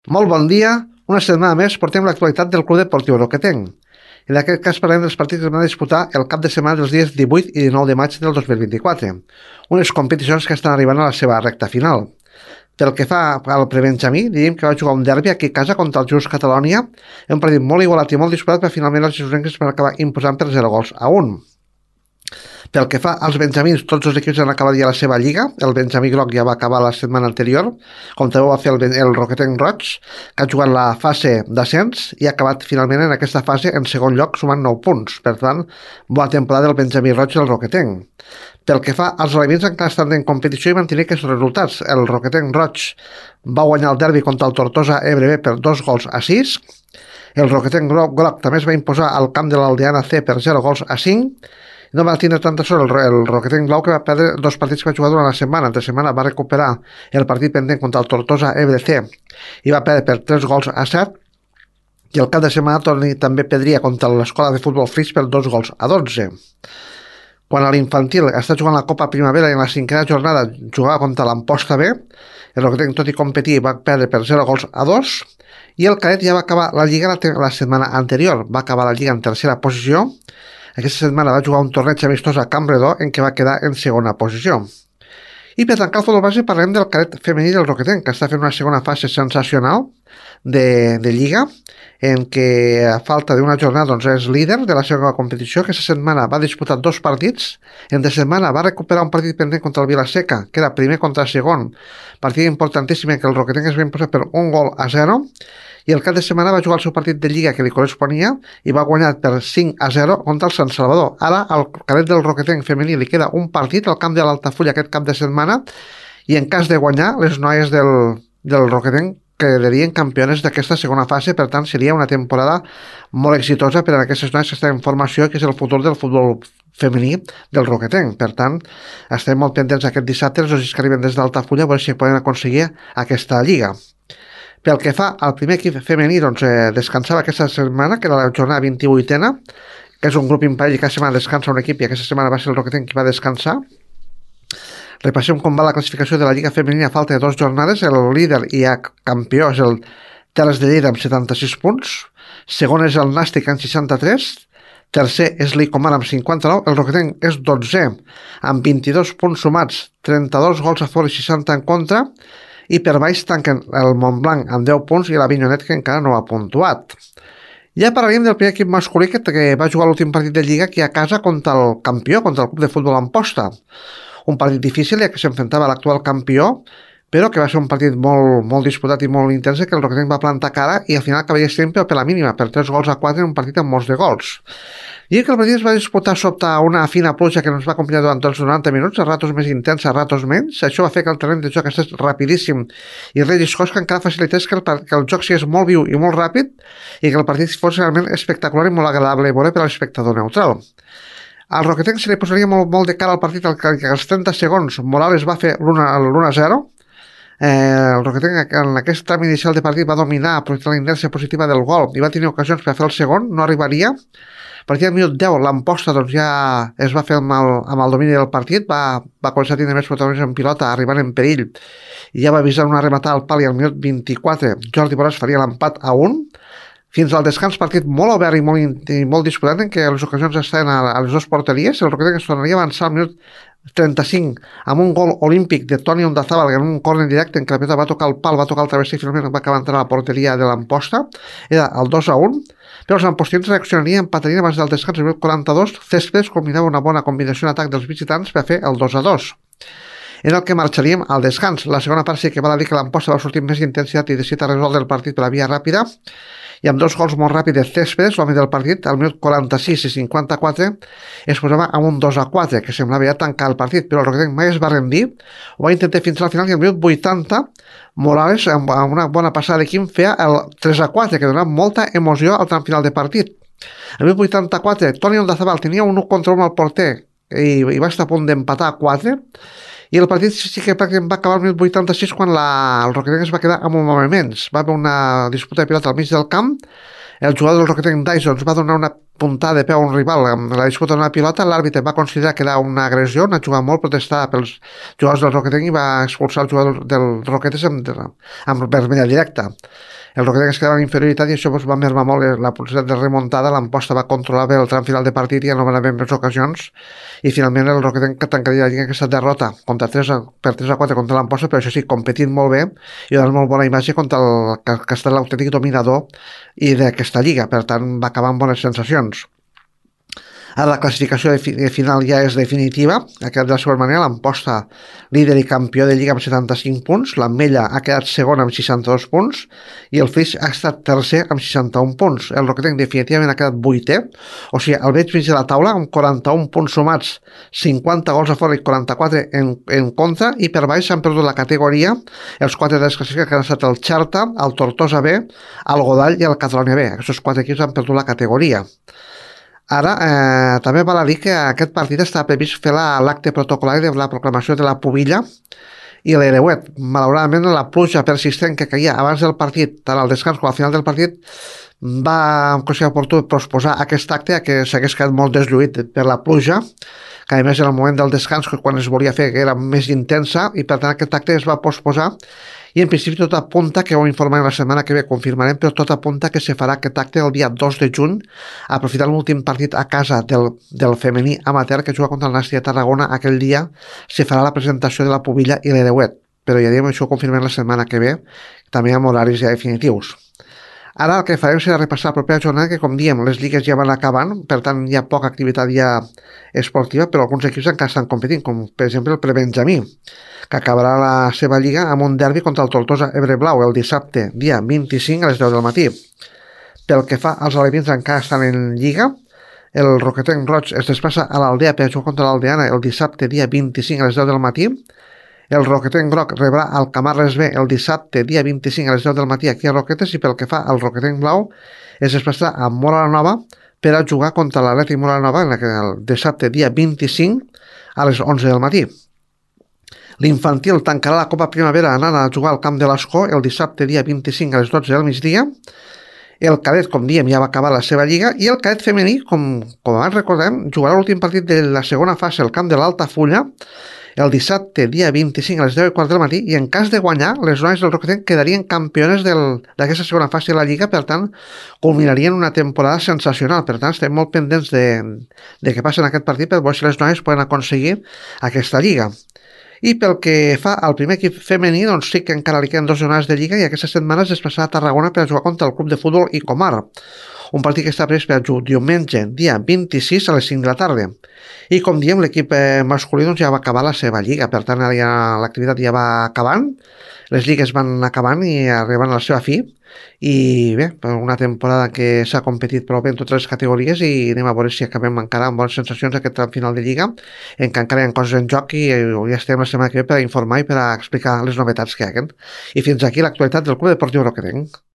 Molt bon dia. Una setmana més portem l'actualitat del Club Deportiu Roquetenc. En aquest cas parlem dels partits que es van disputar el cap de setmana dels dies 18 i 19 de maig del 2024, unes competicions que estan arribant a la seva recta final. Pel que fa al prebenjamí, diríem que va jugar un derbi aquí a casa contra el Just Catalonia, un partit molt igualat i molt disputat, però finalment els gironencs van acabar imposant per 0-1. Pel que fa als benjamins, tots els equips han acabat ja la seva lliga. El Benjamí Groc ja va acabar la setmana anterior, com també ho va fer el Roquetenc Roig, que ha jugat la fase d'ascens i ha acabat finalment en aquesta fase en segon lloc, sumant 9 punts. Per tant, bona temporada del Benjamí Roig i el Roquetenc. Pel que fa als elements encara estan en competició i mantenir aquests resultats. El Roquetenc Roig va guanyar el derbi contra el Tortosa Ebre B per 2-6. El Roquetenc Groc també es va imposar al camp de l'Aldeana C per 0-5. No va tindre tanta sort el Roquetenc Blau, que va perdre dos partits que va jugar durant la setmana. Entre setmana va recuperar el partit pendent contra el Tortosa EBC i va perdre per 3-7, i el cap de setmana també perdria contra l'Escola de Futbol Flix per 2-12. Quan a l'infantil està jugant la Copa Primavera i en la cinquena jornada jugava contra l'Amposta B, el Roquetenc, tot i competir, va perdre per 0-2, i el cadet ja va acabar la lliga la setmana anterior. Va acabar la lliga en tercera posició. Aquesta setmana va jugar un torneig amistós a Campredó en què va quedar en segona posició. I per tancar el futbol base parlem del cadet femení del Roquetenc, que està fent una segona fase sensacional de lliga, en què a falta d'una jornada doncs, és líder de la seva competició. Aquesta setmana va disputar dos partits. Entre setmana va recuperar un partit pendent contra el Vilaseca, que era primer contra segon, partit importantíssim en què el Roquetenc es va imposar per 1-0, i el cap de setmana va jugar el seu partit de lliga que li corresponia i va guanyar per 5-0 contra el Sant Salvador. Ara al cadet del Roquetenc femení li queda un partit al camp de l'Altafulla aquest cap de setmana, i en cas de guanyar, les noies del Roquetenc quedarien campiones d'aquesta segona fase. Per tant, seria una temporada molt exitosa per a aquestes noies que estan en formació, que és el futur del futbol femení del Roquetenc. Per tant, estem molt pendents aquest dissabte, els que arriben des d'Altafulla, a veure si poden aconseguir aquesta lliga. Pel que fa al primer equip femení, doncs, descansava aquesta setmana, que era la jornada 28a, que és un grup impari, cada setmana descansa un equip, i aquesta setmana va ser el Roquetenc qui va descansar. Repassem com va la classificació de la Lliga Femenina a falta de 2 jornades. El líder i campió és el Terres de Lleida amb 76 punts, segon és el Nàstic amb 63, tercer és l'Icomar amb 59, el Roquetenc és 12è amb 22 punts sumats, 32 gols a favor i 60 en contra, i per baix tanquen el Montblanc amb 10 punts i l'Avinyonet, que encara no ha puntuat. Ja parlaríem del primer equip masculí que va jugar l'últim partit de Lliga aquí a casa contra el campió, contra el Club de Futbol Amposta. Un partit difícil, ja que s'enfrontava a l'actual campió, però que va ser un partit molt disputat i molt intens, que el Roquetenc va plantar cara i al final acabaria sempre per la mínima, per 3-4 en un partit amb molts de gols. I que el partit es va disputar sota una fina pluja que ens va acompanyar durant tots els 90 minuts, a ratos més intens, a ratos menys. Això va fer que el terreny de joc estigués rapidíssim i relliscós, que encara facilités que el joc sigués molt viu i molt ràpid i que el partit fos realment espectacular i molt agradable a veure per a l'espectador neutral. Al Roquetenc se li posaria molt de cara al partit, que als 30 segons Morales va fer l'1-0. El Roquetenc en aquest tram inicial de partit va dominar, aprofitant la inèrcia positiva del gol, i va tenir ocasions per fer el segon, no arribaria. A partir del minut 10 l'Amposta doncs, ja es va fer amb el domini del partit, va començar a tenir més protagonisme en pilota, arribant en perill, i ja va avisar una rematada al pal, i al minut 24 Jordi Borràs faria l'empat a 1. Fins al descans, partit molt obert i molt disputat, en què les ocasions estaven a les dues porteries. El Roquetenc es tornaria a avançar al minut 35 amb un gol olímpic de Toni Ondazábal en un córner directe en què la pilota va tocar el pal, va tocar el travesser i finalment va acabar entrant a la porteria de l'Amposta. Era el 2-1, però els ampostins reaccionarien, empatarien abans del descans. El minut 42 Céspedes combinava una bona combinació en atac dels visitants per fer el 2-2, en el que marxaríem al descans. La segona part sí que val a dir que l'Amposta va sortir més intensitat i decidit a resoldre el partit per la via ràpida, i amb dos gols molt ràpids de Céspedes, l'home del partit, al minut 46 i 54 es posava amb un 2-4, que semblava ja tancar el partit, però el Roquetenc mai es va rendir, ho va intentar fins al final, i al minut 80 Morales, amb una bona passada de Quim, feia el 3-4, que donava molta emoció al tram final de partit. Al minut 84 Toni Ondazábal tenia un 1-1 al porter i va estar a punt d'empatar a 4, i el partit sí que pràcticament va acabar el minut 86, quan el Roquetenc es va quedar amb un home menys. Va haver una disputa de pilota al mig del camp, El jugador del Roquetenc Dyson va donar una puntada de peu a un rival amb la disputa d'una pilota, l'àrbitre va considerar que era una agressió, no jugar molt, protestar pels jugadors del Roquetenc i va expulsar el jugador del Roquetes amb vermella directa. El Roquetenc es quedava en inferioritat i això va mermar molt la possibilitat de remuntada. L'Amposta va controlar bé el tram final de partit i ja no van haver més ocasions i finalment el Roquetenc tancaria la lliga aquesta derrota per 3-4 contra l'Amposta, però això sí, competint molt bé i donant molt bona imatge contra que ha estat l'autèntic dominador i d'aquesta lliga, per tant va acabar amb bones sensacions. Ara la classificació final ja és definitiva, ha quedat de la següent manera: l'Amposta líder i campió de Lliga amb 75 punts, l'Ametlla ha quedat segon amb 62 punts i el Flix ha estat tercer amb 61 punts. El Roquetenc definitivament ha quedat vuitè, o sigui, al veig mig de la taula amb 41 punts sumats, 50 gols a fora i 44 en contra, i per baix s'han perdut la categoria els quatre desclassificats que han estat el Xarta, el Tortosa B, el Godall i el Catalunya B. Aquests quatre equips han perdut la categoria. Ara, també val a dir que aquest partit està previst fer l'acte protocolari de la proclamació de la pubilla i l'hereuet. Malauradament, la pluja persistent que caia abans del partit, tant al descans com al final del partit, va considerar oportú posposar aquest acte a que s'hagués quedat molt deslluït per la pluja, que a més en el moment del descans, quan es volia fer, que era més intensa, i per tant aquest acte es va posposar, i en principi tot apunta, que ho informarem la setmana que ve, confirmarem, però tot apunta que se farà aquest acte el dia 2 de juny, aprofitant l'últim partit a casa del femení amateur que juga contra el Nàstic de Tarragona. Aquell dia se farà la presentació de la pubilla i l'hereuet, però ja diem, això ho confirmem la setmana que ve, també amb horaris ja definitius. Ara el que farem serà repassar la propera jornada, que com diem, les lligues ja van acabant, per tant hi ha poca activitat ja esportiva, però alguns equips encara estan competint, com per exemple el Prebenjamí, que acabarà la seva lliga amb un derbi contra el Tortosa Ebre Blau el dissabte, dia 25 a les 10 del matí. Pel que fa als alevins, encara estan en lliga. El Roquetenc Roig es desplaça a l'Aldea per jugar contra l'Aldeana el dissabte, dia 25 a les 10 del matí. El Roquetenc Groc rebrà el Camarles B el dissabte, dia 25 a les 10 del matí aquí a Roquetes, i pel que fa al Roquetenc Blau es desplaçarà a Móra la Nova per a jugar contra l'Atlètic Móra la Nova el dissabte, dia 25 a les 11 del matí. L'Infantil tancarà la Copa Primavera anant a jugar al Camp de l'Escó el dissabte, dia 25 a les 12 del migdia. El cadet, com diem, ja va acabar la seva lliga, i el cadet femení, com abans recordem, jugarà l'últim partit de la segona fase al Camp de l'Altafulla el dissabte, dia 25 a les 10:15 del matí, i en cas de guanyar, les noies del Roquetenc quedarien campiones d'aquesta segona fase de la Lliga, per tant, culminarien una temporada sensacional. Per tant, estem molt pendents de què passa en aquest partit per veure si les noies poden aconseguir aquesta Lliga. I pel que fa al primer equip femení, doncs sí que encara li queden 2 jornades de Lliga, i aquesta setmana es desplaçarà a Tarragona per a jugar contra el Club de Futbol Icomar, un partit que està previst per diumenge, dia 26 a les 5 de la tarda. I com diem, l'equip masculí doncs, ja va acabar la seva lliga, per tant ja l'activitat ja va acabant, les lligues van acabant i arribant a la seva fi, i bé, per una temporada que s'ha competit prou bé en totes les categories, i anem a veure si acabem encara amb bones sensacions aquest tram final de lliga, en què encara hi ha coses en joc, i ja estem la setmana que ve per a informar i per a explicar les novetats que hi ha. I fins aquí l'actualitat del Club Deportiu Roquetenc.